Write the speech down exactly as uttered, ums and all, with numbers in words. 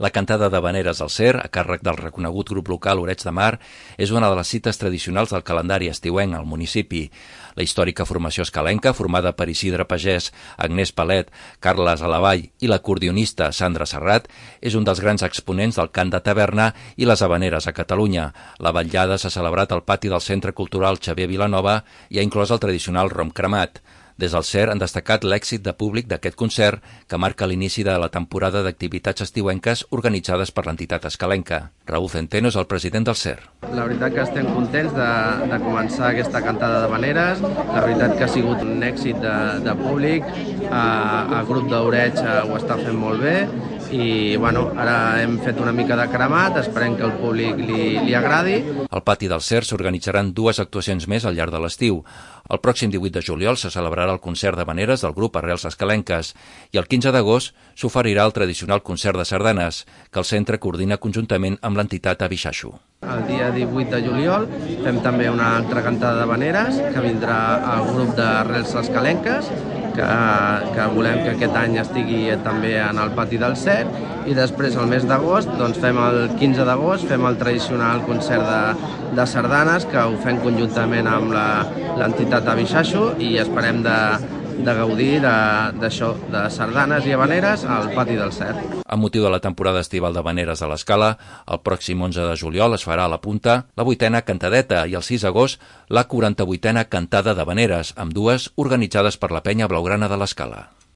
La cantada d'havaneres al Cer, a càrrec del reconegut grup local Oreig de Mar, és una de les cites tradicionals del calendari estiuenc al municipi. La històrica formació escalenca, formada per Isidre Pagès, Agnès Palet, Carles Alavall i l'acordionista Sandra Serrat, és un dels grans exponents del cant de taverna i les havaneres a Catalunya. La vetllada s'ha celebrat al pati del Centre Cultural Xavier Vilanova i ha inclòs el tradicional rom cremat. Des del Cer han destacat l'èxit de públic d'aquest concert, que marca l'inici de la temporada d'activitats estiuenques organitzades per l'entitat escalenca. Raúl Centeno és el president del Cer. La veritat que estem contents de, de començar aquesta cantada d'havaneres. La veritat que ha sigut un èxit de, de públic. Uh, el grup d'Oreig uh, ho està fent molt bé i bueno, ara hem fet una mica de cremat, esperem que el públic li, li agradi. Al pati del Cer s'organitzaran dues actuacions més al llarg de l'estiu. El pròxim divuit de juliol se celebrarà el concert d'havaneres del grup Arrels Escalenques i el quinze d'agost s'oferirà el tradicional concert de sardanes, que el centre coordina conjuntament amb l'entitat Abixaixo. El dia divuit de juliol fem també una altra cantada d'havaneres que vindrà el grup d'Arrels Escalenques, que, que volem que aquest any estigui també en el pati del Cer, i després el mes d'agost, doncs fem el quinze d'agost, fem el tradicional concert de, de sardanes, que ho fem conjuntament amb l'entitat Abixaixo i esperem de, de gaudir d'això, de, de sardanes i havaneres al pati del Cer. Amb motiu de la temporada estival d'havaneres de l'Escala, el pròxim onze de juliol es farà a la Punta la vuitena cantadeta i el sis d'agost la quaranta-vuitena cantada d'havaneres, amb dues organitzades per la penya blaugrana de l'Escala.